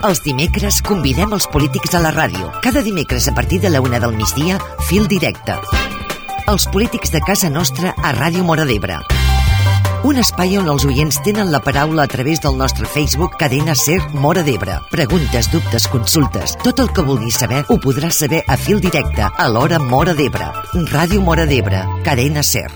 Els dimecres convidem els polítics a la ràdio. Cada dimecres a partir de la 1 del migdia, Fil Directe. Els polítics de casa nostra a Ràdio Móra d'Ebre. Un espai on els oients tenen la paraula a través del nostre Facebook Cadena Ser Móra d'Ebre. Preguntes, dubtes, consultes, tot el que vulguis saber ho podràs saber a Fil Directe, a l'hora Móra d'Ebre. Ràdio Móra d'Ebre, Cadena Ser.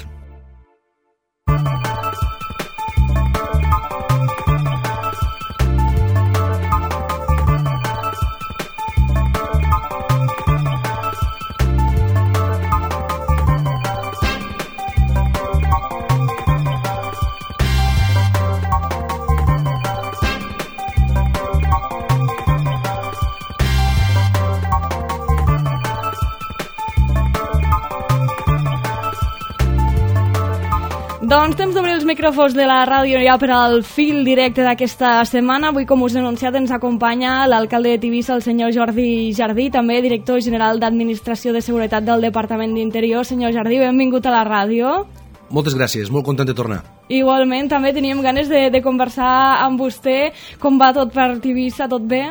Doncs temps d'obrir els micròfons de la ràdio ja per al fil directe d'aquesta setmana. Avui, com us he anunciat, ens acompanya l'alcalde de Tivissa, el senyor Jordi Jardí, també director general d'Administració de Seguretat del Departament d'Interior. Senyor Jardí, benvingut a la ràdio. Moltes gràcies, molt content de tornar. Igualment, també teníem ganes de conversar amb vostè. Com va tot per Tivissa, tot bé?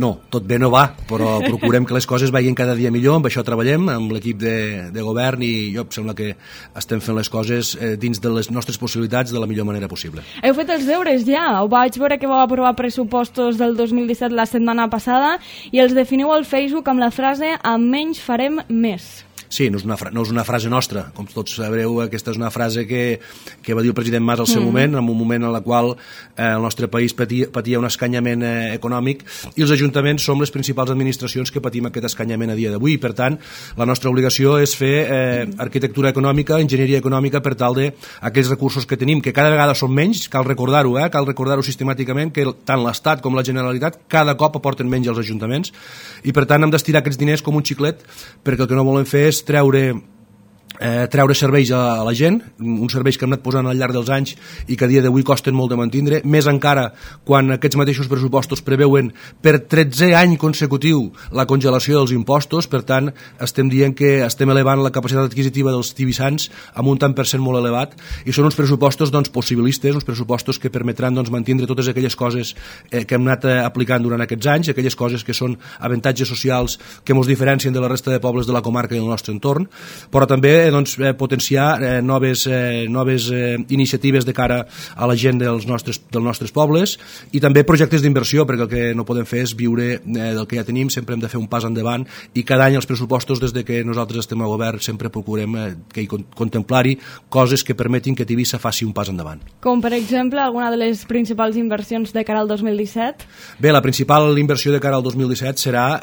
No, tot bé no va, però procurem que les coses vagin cada dia millor, amb això treballem, amb l'equip de govern, i jo em sembla que estem fent les coses dins de les nostres possibilitats de la millor manera possible. Heu fet els deures ja? Ho vaig veure que vau aprovar pressupostos del 2017 la setmana passada i els definiu al Facebook amb la frase "amb menys farem més". Sí, no és una frase nostra, com tots sabreu, aquesta és una frase que va dir el president Mas al seu moment, en un moment en el qual el nostre país patia un escanyament econòmic, i els ajuntaments som les principals administracions que patim aquest escanyament a dia d'avui. Per tant, la nostra obligació és fer arquitectura econòmica, enginyeria econòmica, per tal de aquells recursos que tenim, que cada vegada són menys, cal recordar-ho sistemàticament, que tant l'Estat com la Generalitat cada cop aporten menys als ajuntaments, i per tant hem d'estirar aquests diners com un xiclet, perquè el que no volem fer és treure serveis a la gent, uns serveis que hem anat posant al llarg dels anys i que a dia d'avui costen molt de mantindre, més encara quan aquests mateixos pressupostos preveuen per 13è any consecutiu la congelació dels impostos. Per tant, estem dient que estem elevant la capacitat adquisitiva dels tivissans amb un tant per cent molt elevat, i són uns pressupostos possibilistes, uns pressupostos que permetran mantindre totes aquelles coses que hem anat aplicant durant aquests anys, aquelles coses que són avantatges socials que ens diferencien de la resta de pobles de la comarca i del nostre entorn, però també potenciar noves iniciatives de cara a la gent dels nostres pobles, i també projectes d'inversió, perquè el que no podem fer és viure del que ja tenim, sempre hem de fer un pas endavant, i cada any els pressupostos, des de que nosaltres estem a govern, sempre procurem contemplar-hi coses que permetin que Tivissa faci un pas endavant. Com per exemple alguna de les principals inversions de cara al 2017? Bé, la principal inversió de cara al 2017 serà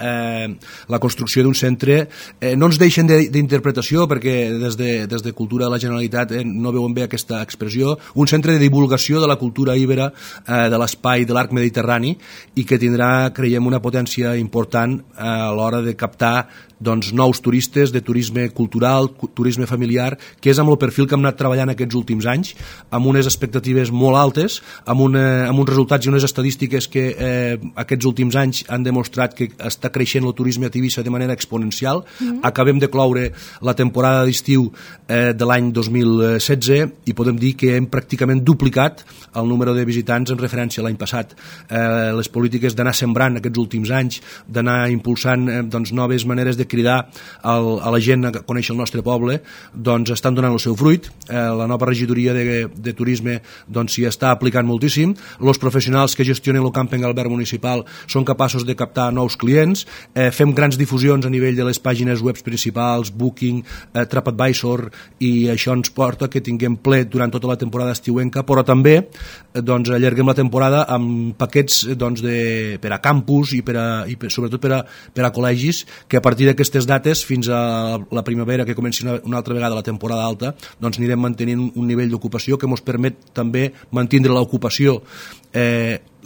la construcció d'un centre, no ens deixen d'interpretació, perquè des de Cultura de la Generalitat no veuen bé aquesta expressió, un centre de divulgació de la cultura íbera, de l'espai de l'arc mediterrani, i que tindrà, creiem, una potència important a l'hora de captar nous turistes, de turisme cultural, turisme familiar, que és amb el perfil que hem anat treballant aquests últims anys, amb unes expectatives molt altes, amb uns resultats i unes estadístiques que aquests últims anys han demostrat que està creixent el turisme a Tivissa de manera exponencial. Acabem de cloure la temporada d'estiu de l'any 2016 i podem dir que hem pràcticament duplicat el número de visitants en referència a l'any passat. Les polítiques d'anar sembrant aquests últims anys, d'anar impulsant noves maneres de cridar a la gent a conèixer el nostre poble, estan donant el seu fruit. La nova regidoria de turisme s'hi està aplicant moltíssim. Els professionals que gestionen el camping albert municipal són capaços de captar nous clients. Fem grans difusions a nivell de les pàgines web principals, Booking, TripAdvisor, i això ens porta que tinguem ple durant tota la temporada estiuenca, però també allarguem la temporada amb paquets per a campus i sobretot per a col·legis, que a partir d'aquestes dates fins a la primavera, que comenci una altra vegada la temporada alta, anirem mantenint un nivell d'ocupació que ens permet també mantindre l'ocupació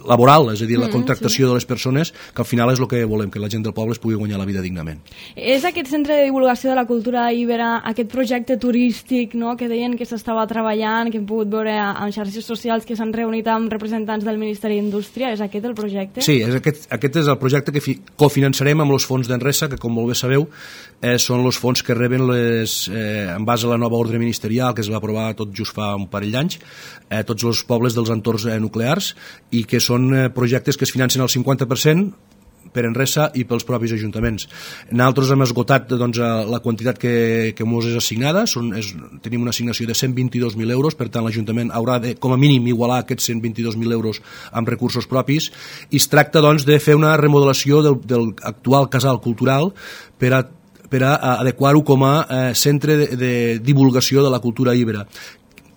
laboral, és a dir, la contractació de les persones, que al final és el que volem, que la gent del poble es pugui guanyar la vida dignament. És aquest centre de divulgació de la cultura íbera, aquest projecte turístic, no?, que deien que s'estava treballant, que hem pogut veure en xarxes socials, que s'han reunit amb representants del Ministeri d'Indústria. És aquest el projecte? Sí, aquest és el projecte que cofinançarem amb els fons d'Enresa, que com molt bé sabeu són els fons que reben en base a la nova ordre ministerial que es va aprovar tot just fa un parell d'anys, tots els pobles dels entorns nuclears, i que són són projectes que es financen al 50% per Enresa i pels propis ajuntaments. Nosaltres hem esgotat doncs, la quantitat que ens és assignada, tenim una assignació de 122.000 euros, per tant l'Ajuntament haurà de, com a mínim, igualar aquests 122.000 euros amb recursos propis, i es tracta doncs, de fer una remodelació del actual casal cultural per a adequar-ho com a centre de divulgació de la cultura íbera.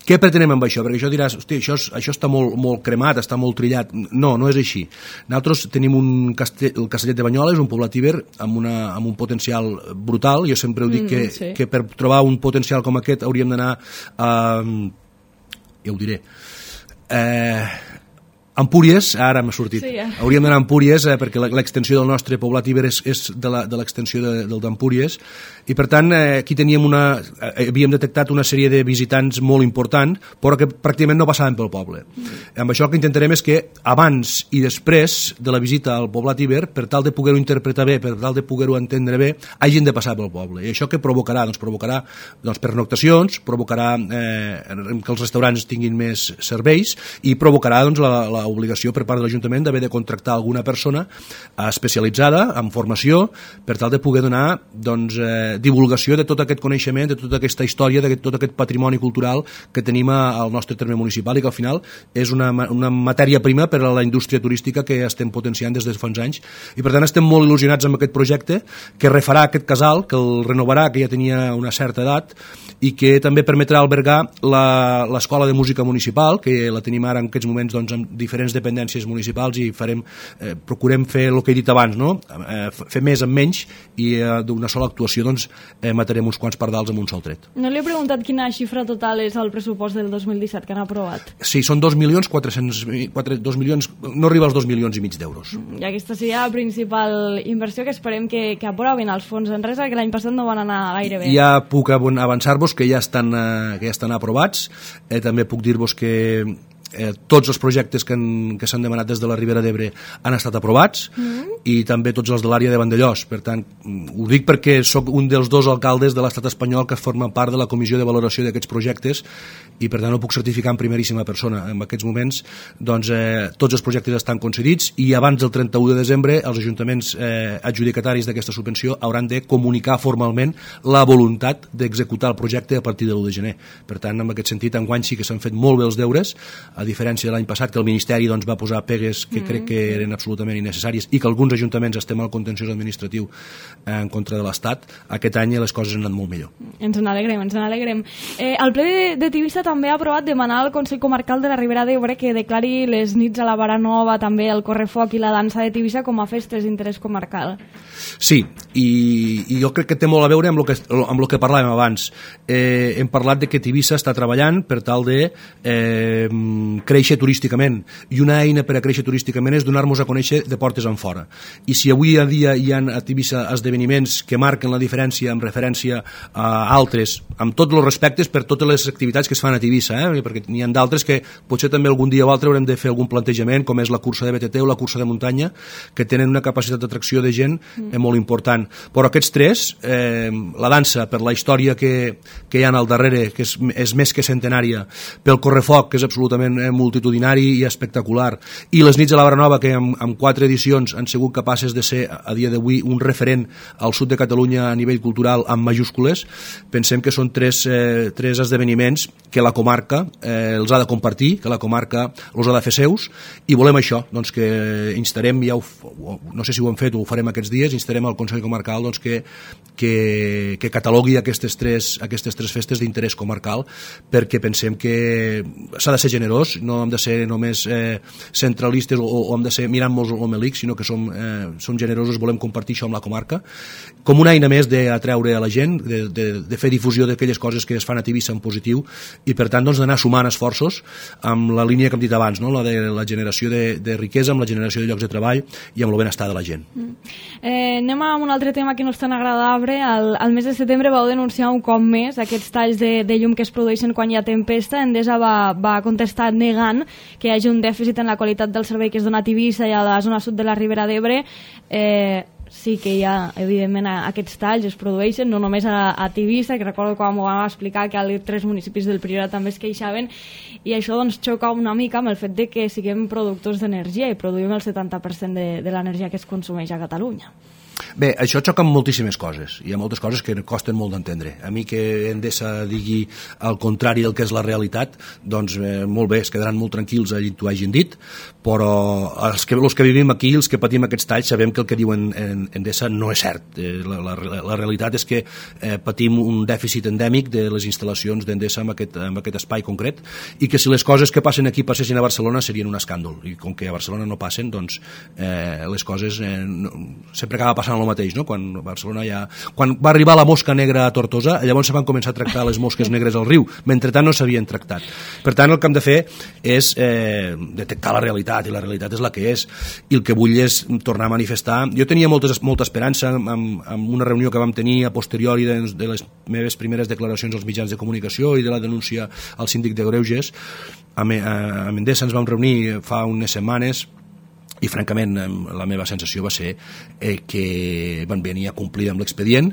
Què pretenem amb això? Perquè això diràs, hosti, això està molt cremat, està molt trillat. No, no és així. Nosaltres tenim el Castellet de Banyoles, un poblat íber amb un potencial brutal. Jo sempre ho dic que per trobar un potencial com aquest hauríem d'anar a... ja ho diré... Empúries, ara m'ha sortit. Sí, ja. Hauríem d'anar a Empúries perquè l'extensió del nostre poblat íber és de l'extensió del d'Empúries, i per tant aquí havíem detectat una sèrie de visitants molt important, però que pràcticament no passaven pel poble. Amb això el que intentarem és que abans i després de la visita al poblat íber, per tal de poder-ho interpretar bé, per tal de poder-ho entendre bé, hagin de passar pel poble. I això què provocarà? Doncs provocarà pernoctacions, provocarà que els restaurants tinguin més serveis i provocarà l'obligació per part de l'Ajuntament d'haver de contractar alguna persona especialitzada en formació per tal de poder donar divulgació de tot aquest coneixement, de tota aquesta història, de tot aquest patrimoni cultural que tenim al nostre terme municipal i que al final és una matèria prima per a la indústria turística que estem potenciant des de fa uns anys, i per tant estem molt il·lusionats amb aquest projecte que refarà aquest casal, que el renovarà, que ja tenia una certa edat, i que també permetrà albergar l'escola de música municipal, que la tenim ara en aquests moments amb diferents dependències municipals, i procurem fer el que he dit abans, no? Fer més amb menys, i d'una sola actuació matarem uns quants pardals amb un sol tret. No li he preguntat quina xifra total és el pressupost del 2017 que han aprovat. Sí, són 2.400.000, no arriba als 2,5 milions d'euros. I aquesta seria la principal inversió que esperem que aprovin els fons Enresa, que l'any passat no van anar gaire bé. Ja puc avançar-vos que ja estan aprovats. També puc dir-vos que tots els projectes que s'han demanat des de la Ribera d'Ebre han estat aprovats, i també tots els de l'àrea de Vandellós. Per tant, ho dic perquè sóc un dels 2 alcaldes de l'estat espanyol que formen part de la comissió de valoració d'aquests projectes, i per tant ho puc certificar en primeríssima persona. En aquests moments tots els projectes estan concedits, i abans del 31 de desembre els ajuntaments adjudicataris d'aquesta subvenció hauran de comunicar formalment la voluntat d'executar el projecte a partir de l'1 de gener. Per tant, en aquest sentit, enguany sí que s'han fet molt bé els deures, a diferència de l'any passat, que el Ministeri va posar pegues que crec que eren absolutament innecessàries, i que alguns ajuntaments estem al contenciós administratiu en contra de l'Estat. Aquest any les coses han anat molt millor. Ens n'alegrem. El ple de Tivissa també ha aprovat demanar al Consell Comarcal de la Ribera d'Ebre que declari les nits a la Vara Nova, també el correfoc i la dansa de Tivissa com a festes d'interès comarcal. Sí, i jo crec que té molt a veure amb el que parlàvem abans. Hem parlat de que Tivissa està treballant per tal de créixer turísticament, i una eina per a créixer turísticament és donar-nos a conèixer de portes en fora. I si avui a dia hi ha a Tivissa esdeveniments que marquen la diferència en referència a altres, amb tots els respectes per totes les activitats que es fan a Tivissa, perquè n'hi ha d'altres que potser també algun dia o altre haurem de fer algun plantejament, com és la cursa de BTT o la cursa de muntanya, que tenen una capacitat d'atracció de gent molt important. Però aquests tres, la dansa, per la història que hi ha al darrere, que és més que centenària, pel correfoc, que és absolutament multitudinari i espectacular, i les nits a la Vara Nova, que amb 4 edicions han sigut capaces de ser a dia d'avui un referent al sud de Catalunya a nivell cultural amb majúscules, pensem que són tres esdeveniments que la comarca els ha de compartir, que la comarca els ha de fer seus, i volem això, doncs que instarem, no sé si ho hem fet o ho farem aquests dies, instarem al Consell Comarcal que catalogui aquestes tres festes d'interès comarcal, perquè pensem que s'ha de ser generós, no hem de ser només centralistes o hem de ser mirant-nos l'omelic, sinó que som generosos, volem compartir això amb la comarca, com una eina més d'atreure a la gent, de fer difusió d'aquelles coses que es fan a Tivissa en positiu, i per tant d'anar sumant esforços amb la línia que hem dit abans, no? La de la generació de riquesa, amb la generació de llocs de treball i amb el benestar de la gent. Anem a un altre tema que no és tan agradable. Al mes de setembre vau denunciar un cop més aquests talls de llum que es produeixen quan hi ha tempesta. Endesa va contestar negant que hi hagi un dèficit en la qualitat del servei que es dona a Tivissa i a la zona sud de la Ribera d'Ebre. sí que hi ha, evidentment, aquests talls es produeixen, no només a Tivissa, que recordo quan m'ho vam explicar que als 3 municipis del Priorat també es queixaven, i això doncs xoca una mica amb el fet de que siguem productors d'energia i produïm el 70% de l'energia que es consumeix a Catalunya. Bé, això xoca amb moltíssimes coses. Hi ha moltes coses que costen molt d'entendre. A mi que Endesa digui al contrari del que és la realitat, doncs molt bé, es quedaran molt tranquils allí t'ho hagin dit, però els que vivim aquí, els que patim aquests talls, sabem que el que diuen Endesa no és cert. La realitat és que patim un dèficit endèmic de les instal·lacions d'Endesa en aquest espai concret, i que si les coses que passen aquí passessin a Barcelona serien un escàndol, i com que a Barcelona no passen, doncs les coses sempre acaba passant el mateix, no? Quan va arribar la mosca negra a Tortosa, llavors se van començar a tractar les mosques negres al riu, mentre tant no s'havien tractat. Per tant, el que hem de fer és detectar la realitat, i la realitat és la que és, i el que vull és tornar a manifestar. Jo tenia molta esperança amb una reunió que vam tenir a posteriori de les meves primeres declaracions als mitjans de comunicació i de la denúncia al síndic de Greuges. A Endesa ens vam reunir fa unes setmanes, i francament la meva sensació va ser que van venir a complir amb l'expedient.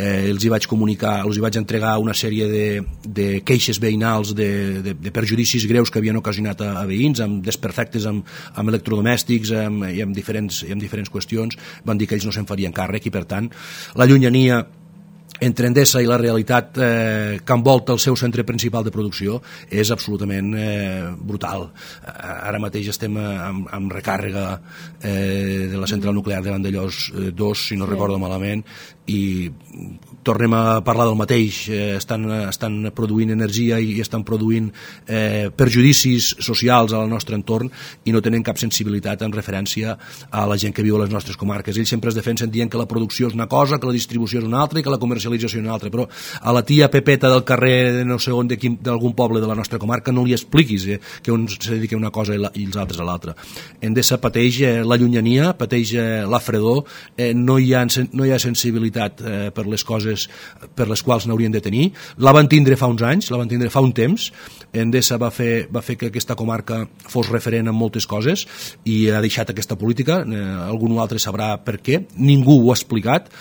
Els hi vaig comunicar, els hi vaig entregar una sèrie de queixes veïnals de perjudicis greus que havien ocasionat a veïns, amb desperfectes amb electrodomèstics i amb diferents qüestions. Van dir que ells no se'n farien càrrec, i per tant la llunyania entre Endesa i la realitat que envolta el seu centre principal de producció és absolutament brutal. Ara mateix estem amb recàrrega de la central nuclear de Vandellòs 2, si no recordo malament, i tornem a parlar del mateix. Estan produint energia i estan produint perjudicis socials al nostre entorn, i no tenen cap sensibilitat en referència a la gent que viu a les nostres comarques. Ells sempre es defensen dient que la producció és una cosa, que la distribució és una altra i que la comercialització és una altra, però a la tia Pepeta del carrer de no sé on, d'algun poble de la nostra comarca, no li expliquis que un se dedica a una cosa i els altres a l'altra. Endesa pateix la llunyania, pateix la fredor, no hi ha sensibilitat per les coses per les quals n'haurien de tenir. La van tindre fa uns anys, la van tindre fa un temps. Endesa va fer que aquesta comarca fos referent en moltes coses i ha deixat aquesta política. Algú altre sabrà per què, ningú ho ha explicat,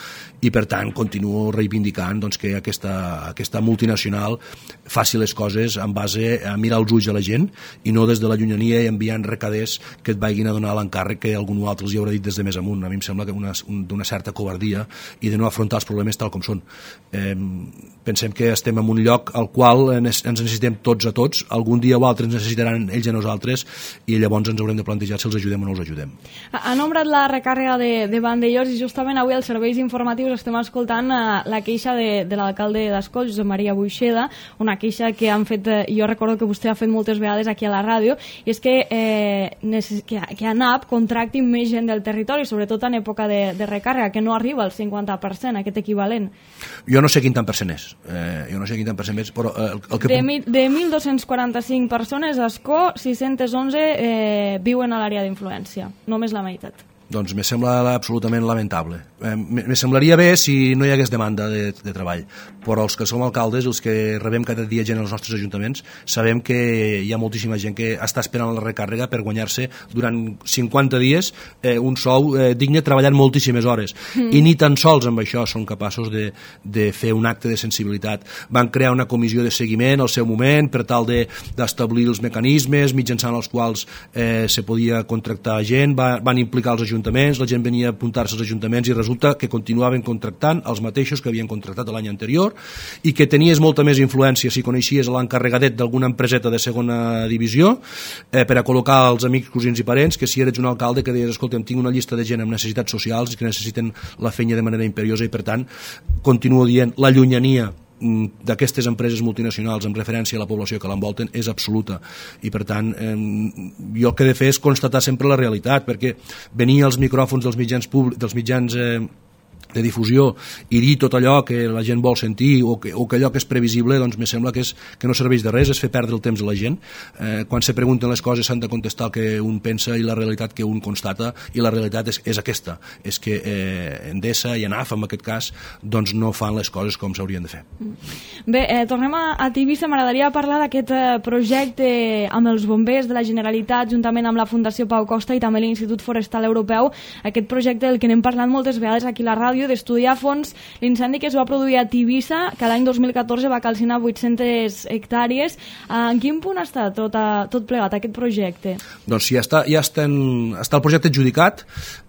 i per tant continuo reivindicant doncs, que aquesta multinacional faci les coses en base a mirar els ulls a la gent i no des de la llunyania i enviant recaders que et vagin a donar l'encàrrec que algú altre els hi haurà dit des de més amunt. A mi em sembla que d'una certa covardia i de no afrontar els problemes tal com són. Pensem que estem en un lloc al qual ens necessitem tots a tots, algun dia o altre ens necessitaran ells a nosaltres, i llavors ens haurem de plantejar si els ajudem o no els ajudem. Ha nombrat la recàrrega de Vandellòs, i justament avui als serveis informatius estem escoltant la queixa de l'alcalde d'Ascó, Josep Maria Buixeda, una queixa que han fet, jo recordo que vostè ha fet moltes vegades aquí a la ràdio, i és que ANAP contracti més gent del territori, sobretot en època de recàrrega, que no arriba al 50%, aquest equivalent. Jo no sé quin tant percent és, però el que... De 1.245 persones a Ascó, 611 viuen a l'àrea d'influència, només la meitat. Doncs me sembla absolutament lamentable. Me semblaria bé si no hi hagués demanda de treball, però els que som alcaldes, els que rebem cada dia gent als nostres ajuntaments, sabem que hi ha moltíssima gent que està esperant la recàrrega per guanyar-se durant 50 dies un sou digne, treballant moltíssimes hores. I ni tan sols amb això són capaços de fer un acte de sensibilitat. Van crear una comissió de seguiment al seu moment per tal d'establir els mecanismes mitjançant els quals se podia contractar gent, van implicar els ajuntaments, la gent venia a apuntar-se als ajuntaments i resulta que continuaven contractant els mateixos que havien contractat l'any anterior, i que tenies molta més influència si coneixies l'encarregadet d'alguna empreseta de segona divisió per a col·locar els amics, cosins i parents, que si eres un alcalde que deies, escolta, tinc una llista de gent amb necessitats socials que necessiten la feina de manera imperiosa, i per tant continuo dient, la llunyania d'aquestes empreses multinacionals en referència a la població que l'envolten és absoluta, i per tant jo el que he de fer és constatar sempre la realitat, perquè venir als micròfons dels mitjans difusió i dir tot allò que la gent vol sentir o que allò que és previsible, doncs me sembla que no serveix de res, és fer perdre el temps a la gent. Quan se pregunten les coses s'han de contestar el que un pensa i la realitat que un constata, i la realitat és aquesta, és que Endesa i ANAF en aquest cas doncs no fan les coses com s'haurien de fer. Bé, tornem a Tivissa. M'agradaria parlar d'aquest projecte amb els bombers de la Generalitat juntament amb la Fundació Pau Costa i també l'Institut Forestal Europeu, aquest projecte del que n'hem parlat moltes vegades aquí a la ràdio, d'estudiar a fons l'incendi que es va produir a Tivissa, que l'any 2014 va calcinar 800 hectàrees. En quin punt està tot plegat aquest projecte? Doncs sí, està el projecte adjudicat.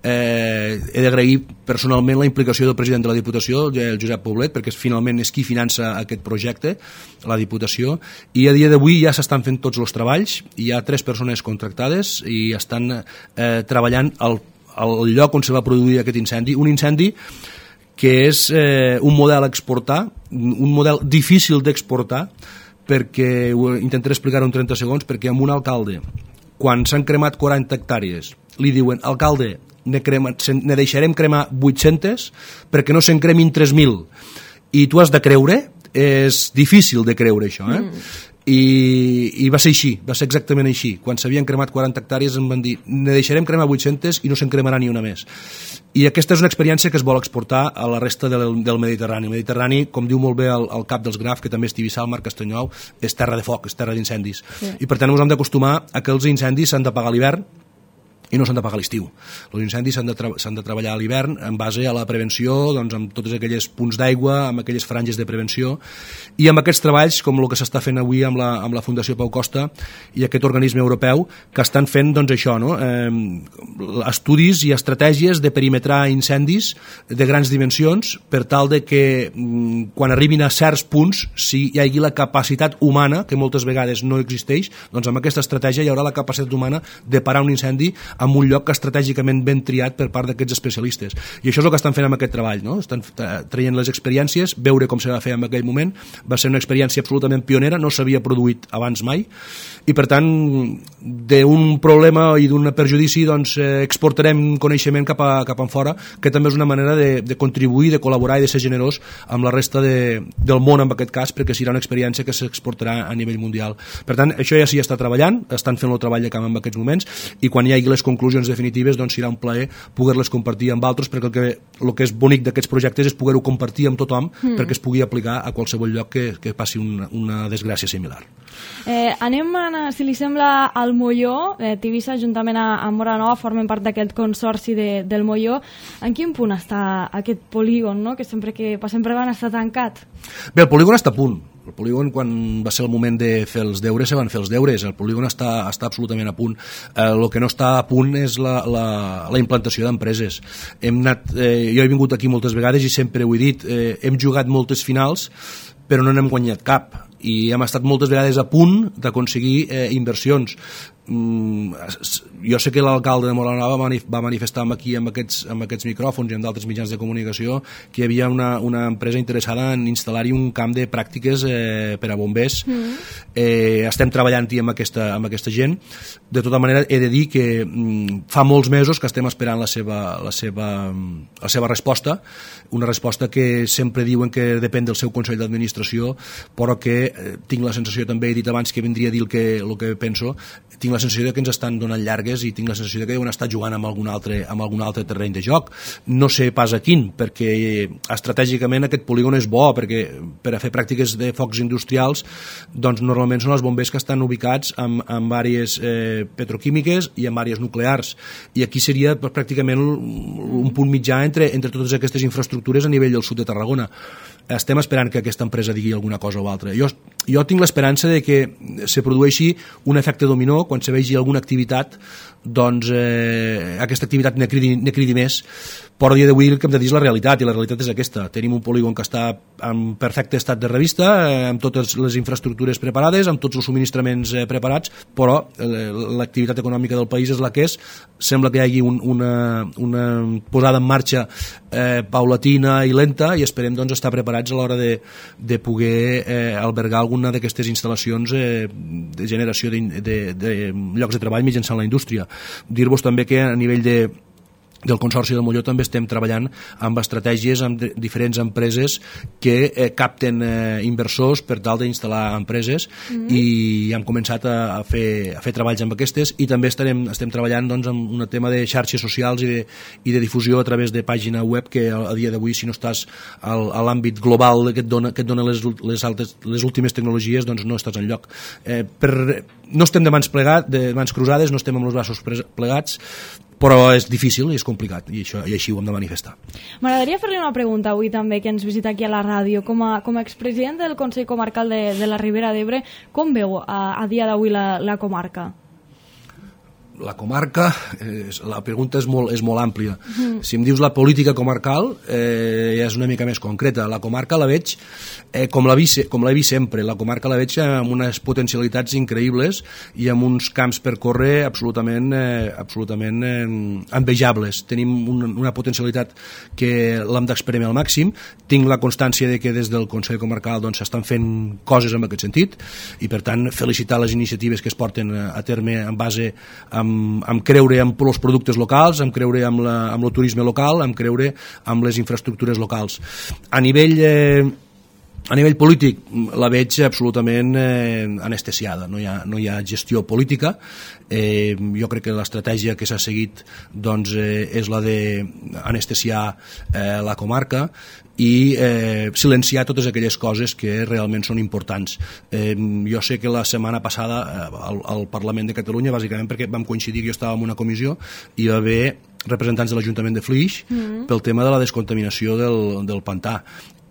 He d'agrair personalment la implicació del president de la Diputació, el Josep Poblet, perquè finalment és qui finança aquest projecte, la Diputació, i a dia d'avui ja s'estan fent tots els treballs, hi ha 3 persones contractades i estan treballant al lloc on se va produir aquest incendi, un incendi que és un model a exportar, un model difícil d'exportar, perquè ho intentaré explicar en 30 segons, perquè amb un alcalde, quan s'han cremat 40 hectàrees, li diuen, alcalde, ne deixarem cremar 800 perquè no se'n cremin 3.000, i tu has de creure, és difícil de creure això, I va ser així, va ser exactament així. Quan s'havien cremat 40 hectàrees em van dir, ne deixarem cremar 800 i no se'n cremarà ni una més. I aquesta és una experiència que es vol exportar a la resta del Mediterrani. El Mediterrani, com diu molt bé el cap dels Graf, que també és Tivissa, el Marc Castanyol, és terra de foc, és terra d'incendis. Sí. I per tant ens hem d'acostumar a que els incendis s'han de pagar a l'hivern i no s'han de pagar a l'estiu. Els incendis s'han de treballar a l'hivern en base a la prevenció, doncs, amb tots aquells punts d'aigua, amb aquelles franges de prevenció, i amb aquests treballs, com el que s'està fent avui amb la Fundació Pau Costa i aquest organisme europeu, que estan fent doncs, això, no? Estudis i estratègies de perimetrar incendis de grans dimensions per tal de que quan arribin a certs punts, si hi hagi la capacitat humana, que moltes vegades no existeix, doncs amb aquesta estratègia hi haurà la capacitat humana de parar un incendi en un lloc estratègicament ben triat per part d'aquests especialistes. I això és el que estan fent amb aquest treball, no? Estan traient les experiències, veure com se va fer en aquell moment. Va ser una experiència absolutament pionera, no s'havia produït abans mai, i per tant d'un problema i d'un perjudici doncs, exportarem coneixement cap a fora, que també és una manera de contribuir, de col·laborar i de ser generós amb la resta del món en aquest cas, perquè serà una experiència que s'exportarà a nivell mundial. Per tant, això ja s'hi està treballant, estan fent el treball de camp en aquests moments, i quan hi hagi les conclusions definitives doncs serà un plaer poder-les compartir amb altres, perquè el que és bonic d'aquests projectes és poder-ho compartir amb tothom perquè es pugui aplicar a qualsevol lloc que passi una desgràcia similar. Anem, si li sembla, al Molló. Tivissa, juntament amb Móra Nova, formen part d'aquest consorci del Molló. En quin punt està aquest polígon, no? Que sempre van estar tancat? Bé, el polígon està a punt. El polígon, quan va ser el moment de fer els deures, se van fer els deures. El polígon està absolutament a punt. El que no està a punt és la implantació d'empreses. Jo he vingut aquí moltes vegades i sempre ho he dit, hem jugat moltes finals, però no n'hem guanyat cap. I hem estat moltes vegades a punt d'aconseguir inversions. Jo sé que l'alcalde de Móra Nova va manifestar aquí amb aquests micròfons i amb d'altres mitjans de comunicació que hi havia una empresa interessada en instal·lar-hi un camp de pràctiques per a bombers. Estem treballant-hi amb aquesta gent. De tota manera, he de dir que fa molts mesos que estem esperant la seva resposta, una resposta que sempre diuen que depèn del seu Consell d'Administració, però que tinc la sensació, també he dit abans que vindria a dir el que penso, tinc la sensació que ens estan donant llargues i tinc la sensació que deuen estar jugant amb algun altre terreny de joc. No sé pas a quin, perquè estratègicament aquest polígon és bo, perquè per a fer pràctiques de focs industrials doncs normalment són els bombers que estan ubicats en àrees petroquímiques i en àrees nuclears, i aquí seria pràcticament un punt mitjà entre totes aquestes infraestructures a nivell del sud de Tarragona. Estem esperant que aquesta empresa digui alguna cosa o altra. Jo tinc l'esperança de que se produeixi un efecte dominó quan se vegi alguna activitat, doncs aquesta activitat ne cridi més, però a dia d'avui el que hem de dir és la realitat, i la realitat és aquesta. Tenim un polígon que està en perfecte estat de revista, amb totes les infraestructures preparades, amb tots els subministraments preparats, però l'activitat econòmica del país és la que és. Sembla que hi hagi una posada en marxa paulatina i lenta, i esperem doncs estar preparats a l'hora de poder albergar alguna d'aquestes instal·lacions de generació de llocs de treball mitjançant la indústria. Dir-vos també que a nivell del Consorci del Molló també estem treballant amb estratègies amb diferents empreses que capten inversors per tal d'instal·lar empreses i hem començat a fer treballs amb aquestes i també estem treballant doncs, amb un tema de xarxes socials i de difusió a través de pàgina web que a dia d'avui si no estàs a l'àmbit global que et dona les últimes tecnologies doncs no estàs enlloc. No estem de mans cruzades, no estem amb els braços plegats, però és difícil i és complicat i així ho hem de manifestar. M'agradaria fer-li una pregunta avui també que ens visita aquí a la ràdio. Com a expresident del Consell Comarcal de la Ribera d'Ebre, com veu a dia d'avui la comarca? La comarca, la pregunta és molt àmplia. Si em dius la política comarcal, ja és una mica més concreta. La comarca la veig com l'he vist sempre. La comarca la veig amb unes potencialitats increïbles i amb uns camps per córrer absolutament envejables. Tenim una potencialitat que l'hem d'exprimir al màxim. Tinc la constància de que des del Consell Comarcal doncs, s'estan fent coses en aquest sentit i per tant felicitar les iniciatives que es porten a terme en base amb creure amb els productes locals, amb creure amb el turisme local, amb creure amb les infraestructures locals. A nivell polític la veig absolutament anestesiada, no hi ha gestió política. Jo crec que l'estratègia que s'ha seguit doncs, és la d'anestesiar la comarca i silenciar totes aquelles coses que realment són importants. Jo sé que la setmana passada al Parlament de Catalunya, bàsicament perquè vam coincidir que jo estava en una comissió i hi va haver representants de l'Ajuntament de Flix pel tema de la descontaminació del pantà.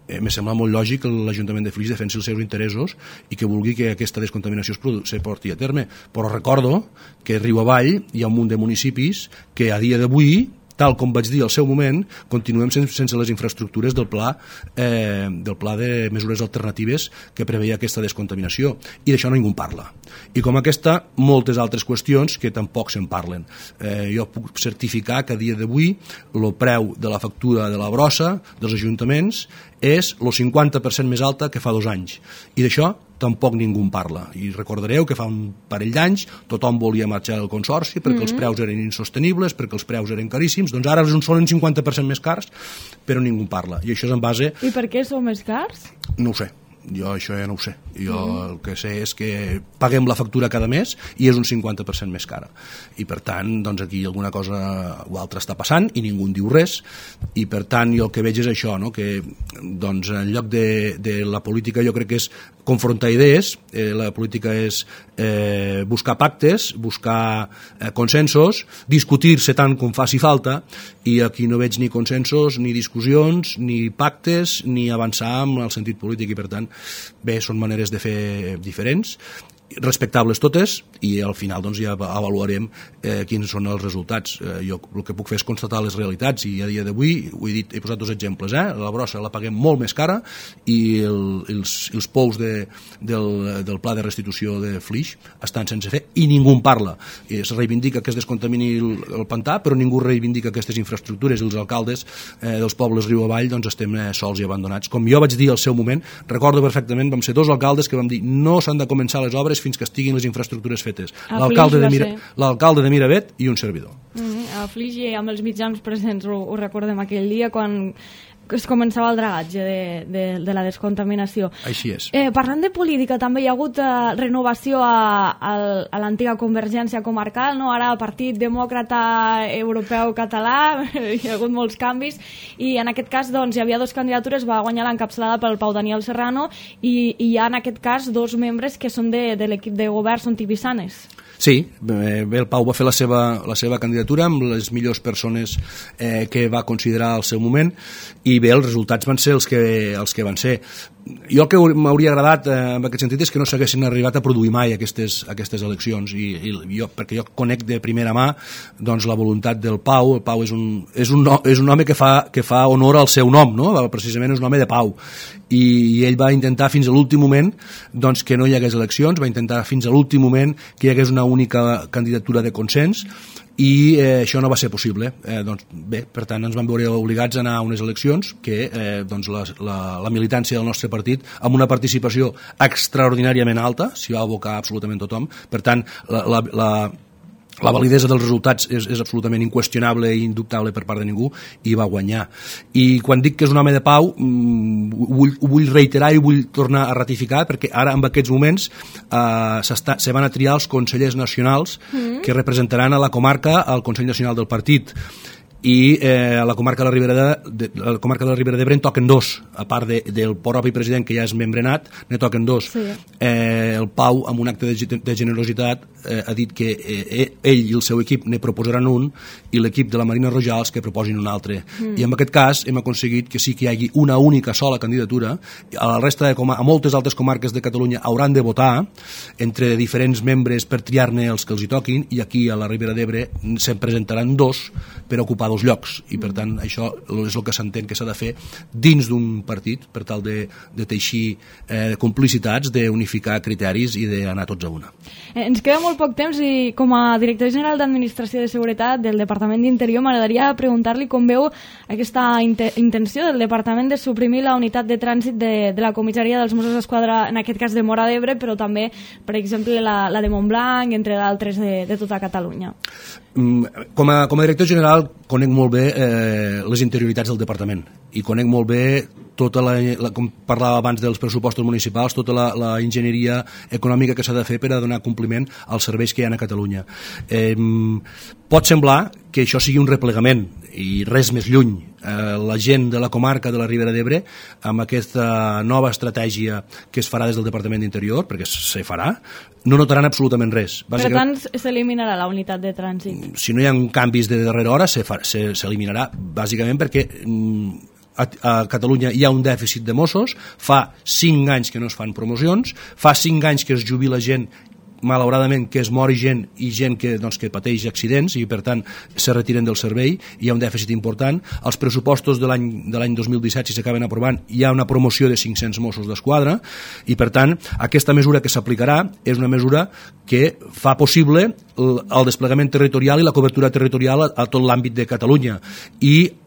Me sembla molt lògic que l'Ajuntament de Flix defensi els seus interessos i que vulgui que aquesta descontaminació se porti a terme. Però recordo que riu avall hi ha un munt de municipis que a dia d'avui, tal com vaig dir al seu moment, continuem sense les infraestructures del pla de mesures alternatives que preveia aquesta descontaminació. I d'això ningú en parla. I com aquesta, moltes altres qüestions que tampoc se'n parlen. Jo puc certificar que a dia d'avui el preu de la factura de la brossa dels ajuntaments és el 50% més alta que fa 2 anys. I d'això tampoc ningú en parla. I recordareu que fa un parell d'anys tothom volia marxar del consorci perquè els preus eren insostenibles, perquè els preus eren caríssims. Doncs ara són un 50% més cars, però ningú en parla. I això és en base... I per què són més cars? No ho sé. Jo això ja no ho sé. Jo el que sé és que paguem la factura cada mes i és un 50% més cara. I per tant, doncs aquí alguna cosa o altra està passant i ningú en diu res. I per tant, jo el que veig és això, no? Que doncs, en lloc de la política jo crec que és confrontar idees, la política és buscar pactes, buscar consensos, discutir-se tant com faci falta, i aquí no veig ni consensos, ni discussions, ni pactes, ni avançar en el sentit polític, i per tant, bé, són maneres de fer diferents, respectables totes, i al final doncs, ja avaluarem quins són els resultats. Jo el que puc fer és constatar les realitats, i a dia d'avui, ho he dit, he posat 2 exemples, la brossa la paguem molt més cara i els pous del pla de restitució de Flix estan sense fer i ningú en parla. Es reivindica que es descontamini el pantà, però ningú reivindica aquestes infraestructures, i els alcaldes dels pobles riu avall doncs, estem sols i abandonats. Com jo vaig dir al seu moment, recordo perfectament, vam ser 2 alcaldes que vam dir no s'han de començar les obres fins que estiguin les infraestructures fetes. L'alcalde de Miravet i un servidor. A Flix i amb els mitjans presents ho recordem aquell dia quan es començava el dragatge de la descontaminació. Així és. Parlant de política, també hi ha hagut renovació a l'antiga Convergència comarcal, no? Ara Partit Demòcrata Europeu Català, hi ha hagut molts canvis, i en aquest cas doncs, hi havia 2 candidatures, va guanyar l'encapçalada pel Pau Daniel Serrano, i hi ha en aquest cas 2 membres que són de l'equip de govern, són tipissanes. Sí, bé, el Pau va fer la seva candidatura amb les millors persones que va considerar al seu moment, i bé, els resultats van ser els que van ser. Jo el que m'hauria agradat en aquest sentit és que no s'haguessin arribat a produir mai aquestes eleccions, perquè jo conec de primera mà doncs, la voluntat del Pau. El Pau és un home que fa honor al seu nom, no? Precisament és un home de pau, i ell va intentar fins a l'últim moment doncs, que no hi hagués eleccions, va intentar fins a l'últim moment que hi hagués una única candidatura de consens, i això no va ser possible. Doncs, bé, per tant ens vam veure obligats a anar a unes eleccions que doncs, la militància del nostre partit, amb una participació extraordinàriament alta, s'hi va abocar absolutament tothom. Per tant, la validesa dels resultats és absolutament inqüestionable i indubtable per part de ningú, i va guanyar. I quan dic que és un home de pau, ho vull reiterar i ho vull tornar a ratificar, perquè ara, en aquests moments, se van a triar els consellers nacionals que representaran a la comarca al Consell Nacional del Partit. I a la comarca de la Ribera d'Ebre en toquen dos, a part del propi president, que ja és membrenat, ne toquen dos. Sí. El Pau, amb un acte de generositat, ha dit que ell i el seu equip ne proposaran un, i l'equip de la Marina Rojals que proposin un altre. I en aquest cas hem aconseguit que sí que hi hagi una única sola candidatura. A la resta a moltes altres comarques de Catalunya hauran de votar entre diferents membres per triar-ne els que els hi toquin, i aquí a la Ribera d'Ebre se'n presentaran dos per ocupar dos llocs, i per tant això és el que s'entén que s'ha de fer dins d'un partit per tal de teixir complicitats, d'unificar criteris i d'anar tots a una. Ens queda molt poc temps, i com a director general d'Administració de Seguretat del Departament d'Interior m'agradaria preguntar-li com veu aquesta intenció del Departament de suprimir la unitat de trànsit de la comissaria dels Mossos d'Esquadra, en aquest cas de Móra d'Ebre, però també, per exemple, la de Montblanc, entre d'altres de tota Catalunya. Com a director general conec molt bé les interioritats del departament, i conec molt bé tota com parlava abans dels pressupostos municipals, tota la enginyeria econòmica que s'ha de fer per a donar compliment als serveis que hi ha a Catalunya. Pot semblar que això sigui un replegament, i res més lluny. La gent de la comarca de la Ribera d'Ebre, amb aquesta nova estratègia que es farà des del Departament d'Interior, perquè se farà, no notaran absolutament res. Per tant, s'eliminarà la unitat de trànsit? Si no hi ha canvis de darrera hora, s'eliminarà, bàsicament perquè a Catalunya hi ha un dèficit de Mossos, fa 5 anys que no es fan promocions, fa 5 anys que es jubila gent, malauradament, que es mori gent, i gent que pateix accidents i per tant se retiren del servei. Hi ha un dèficit important. Els pressupostos de l'any 2017, si s'acaben aprovant, hi ha una promoció de 500 Mossos d'Esquadra, i per tant aquesta mesura que s'aplicarà és una mesura que fa possible el desplegament territorial i la cobertura territorial a tot l'àmbit de Catalunya. I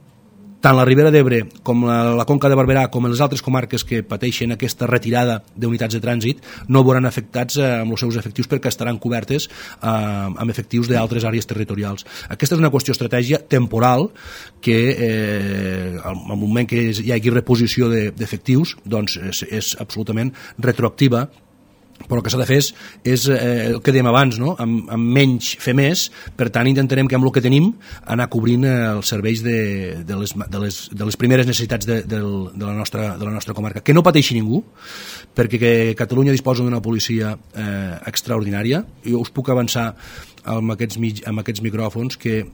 tant la Ribera d'Ebre com la Conca de Barberà com les altres comarques que pateixen aquesta retirada d'unitats de trànsit no veuran afectats amb els seus efectius, perquè estaran cobertes amb efectius d'altres àrees territorials. Aquesta és una qüestió estratègia temporal que al moment que hi hagi reposició d'efectius doncs és absolutament retroactiva, però el que s'ha de fer és el que dèiem abans, no? Amb menys fer més. Per tant, intentarem que amb el que tenim anar cobrint els serveis de les primeres necessitats de la nostra comarca. Que no pateixi ningú, perquè Catalunya disposa d'una policia extraordinària. Jo us puc avançar amb aquests micròfons que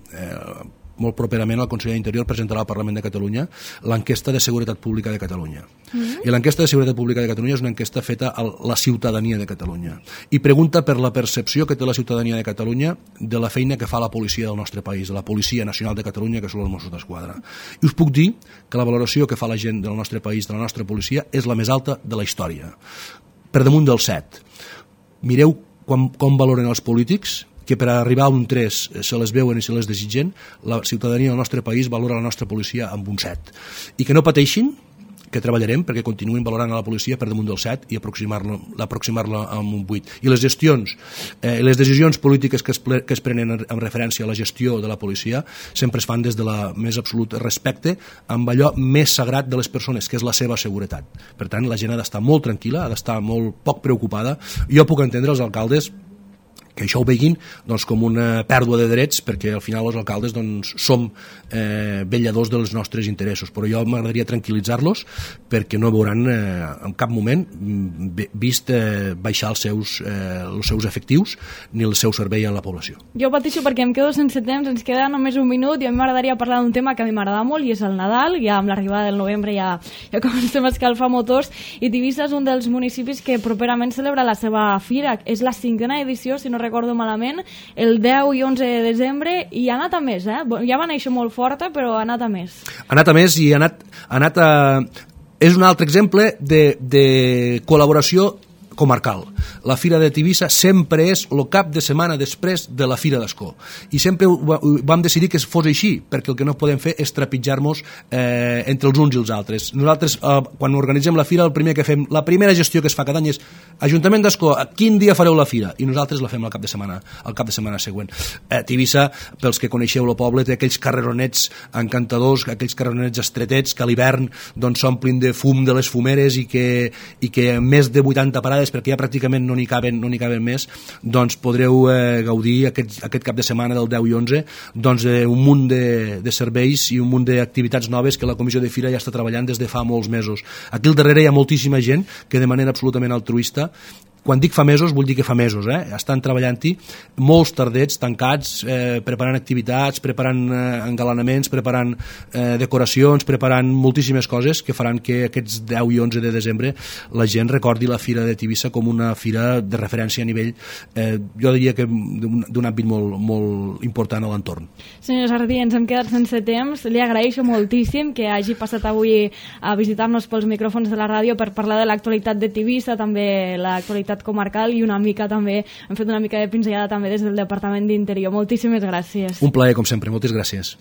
molt properament el conseller d'Interior presentarà al Parlament de Catalunya l'enquesta de Seguretat Pública de Catalunya. I l'enquesta de Seguretat Pública de Catalunya és una enquesta feta a la ciutadania de Catalunya i pregunta per la percepció que té la ciutadania de Catalunya de la feina que fa la policia del nostre país, de la Policia Nacional de Catalunya, que són els Mossos d'Esquadra. I us puc dir que la valoració que fa la gent del nostre país, de la nostra policia, és la més alta de la història, per damunt del 7. Mireu com valoren els polítics, que per arribar a un 3 se les veuen i se les desitgen. La ciutadania del nostre país valora la nostra policia amb un 7. I que no pateixin, que treballarem perquè continuïn valorant a la policia per damunt del 7 i aproximar-la amb un 8. I les gestions, les decisions polítiques que es prenen en referència a la gestió de la policia sempre es fan des de la més absolut respecte amb allò més sagrat de les persones, que és la seva seguretat. Per tant, la gent ha d'estar molt tranquil·la, ha d'estar molt poc preocupada. Jo puc entendre els alcaldes que això ho veguin com una pèrdua de drets, perquè al final els alcaldes som vetlladors dels nostres interessos, però jo m'agradaria tranquil·litzar-los perquè no veuran en cap moment vist baixar els seus efectius ni el seu servei a la població. Jo pateixo perquè em quedo sense temps, ens queda només un minut, i a mi m'agradaria parlar d'un tema que a mi m'agrada molt, i és el Nadal. Ja amb l'arribada del novembre ja comencem a escalfar motors, i Tivissa és un dels municipis que properament celebra la seva fira. És la 5a edició, si no recordo malament, el 10 i 11 de desembre, i ha anat a més, ja va néixer molt forta, però ha anat a més. Ha anat a més i ha anat a... És un altre exemple de col·laboració comarcal. la Fira de Tivissa sempre és el cap de setmana després de la Fira d'Ascó. I sempre vam decidir que fos així, perquè el que no podem fer és trepitjar-nos entre els uns i els altres. Nosaltres, quan organitzem la Fira, el primer que fem, la primera gestió que es fa cada any és Ajuntament d'Ascó, quin dia fareu la Fira? I nosaltres la fem el cap de setmana següent. Tivissa, pels que coneixeu el poble, té aquells carreronets encantadors, aquells carreronets estretets que a l'hivern s'omplin de fum de les fumeres i que més de 80 parades, perquè ja pràcticament no n'hi caben més, doncs podreu gaudir aquest cap de setmana del 10 i 11 doncs un munt de serveis i un munt d'activitats noves que la Comissió de Fira ja està treballant des de fa molts mesos. Aquí al darrere hi ha moltíssima gent que de manera absolutament altruista, quan dic fa mesos, vull dir que fa mesos, estan treballant-hi, molts tardets tancats, preparant activitats, preparant engalanaments, preparant decoracions, preparant moltíssimes coses que faran que aquests 10 i 11 de desembre la gent recordi la Fira de Tivissa com una fira de referència a nivell, jo diria que d'un àmbit molt, molt important a l'entorn. Senyor Jardí, ens hem quedat sense temps. Li agraeixo moltíssim que hagi passat avui a visitar-nos pels micròfons de la ràdio per parlar de l'actualitat de Tivissa, també l'actualitat comarcal i una mica també, hem fet una mica de pinzellada també des del Departament d'Interior. Moltíssimes gràcies. Un plaer, com sempre. Moltes gràcies.